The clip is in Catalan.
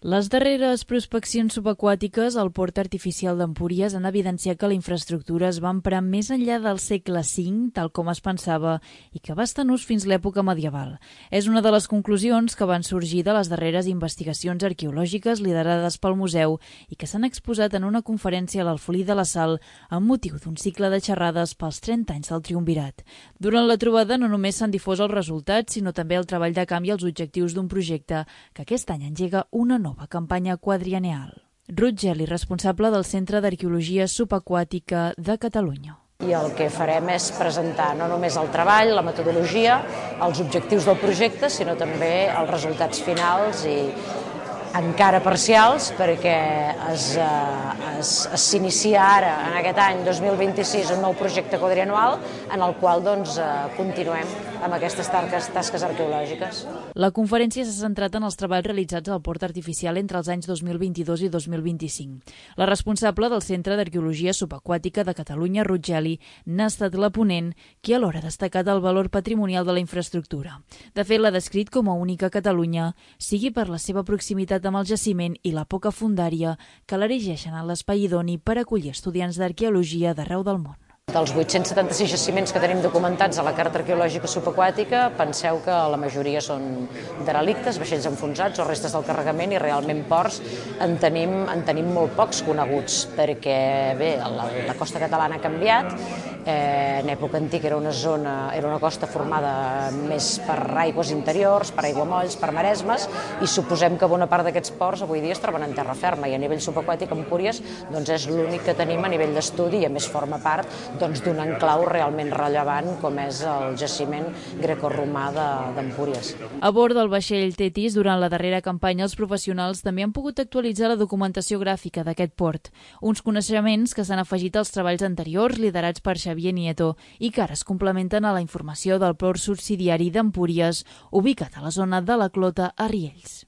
Les darreres prospeccions subaquàtiques al port artificial d'Empúries han evidenciat que la infraestructura es va emprar més enllà del segle V, tal com es pensava, i que va estar en ús fins l'època medieval. És una de les conclusions que van sorgir de les darreres investigacions arqueològiques liderades pel museu i que s'han exposat en una conferència a l'Alfolí de la Sal amb motiu d'un cicle de xerrades pels 30 anys del triumvirat. Durant la trobada no només s'han difós els resultats, sinó també el treball de camp i els objectius d'un projecte que aquest any engega una nova campanya quadriennial. Ruth Geli, responsable del Centre d'Arqueologia Subaquàtica de Catalunya. I el que farem és presentar no només el treball, la metodologia, els objectius del projecte, sinó també els resultats finals i encara parcials, perquè s'inicia ara, en aquest any 2026, un nou projecte quadrianual en el qual continuem amb aquestes tasques arqueològiques. La conferència s'ha centrat en els treballs realitzats al port artificial entre els anys 2022 i 2025. La responsable del Centre d'Arqueologia Subaquàtica de Catalunya, Ruth Geli, n'ha estat la ponent, qui alhora ha destacat el valor patrimonial de la infraestructura. De fet, l'ha descrit com a única a Catalunya, sigui per la seva proximitat amb el jaciment i la poca fondària que l'erigeixen en l'espai idoni per acollir estudiants d'arqueologia d'arreu del món. Dels 876 jaciments que tenim documentats a la Carta Arqueològica Subaquàtica, penseu que la majoria són derelictes, vaixells enfonsats o restes del carregament, i realment ports en tenim molt pocs coneguts, perquè bé, la costa catalana ha canviat. En època antiga era una costa formada més per aigües interiors, per aiguamolls, per maresmes, i suposem que bona part d'aquests ports avui dia es troben en terra ferma, i a nivell subaquàtic Empúries és l'únic que tenim a nivell d'estudi, i a més forma part d'un enclau realment rellevant com és el jaciment grecorromà d'Empúries. A bord del vaixell Tetis, durant la darrera campanya, els professionals també han pogut actualitzar la documentació gràfica d'aquest port, uns coneixements que s'han afegit als treballs anteriors liderats per Xavier Nieto i que ara es complementen a la informació del port subsidiari d'Empúries, ubicat a la zona de la Clota a Riells.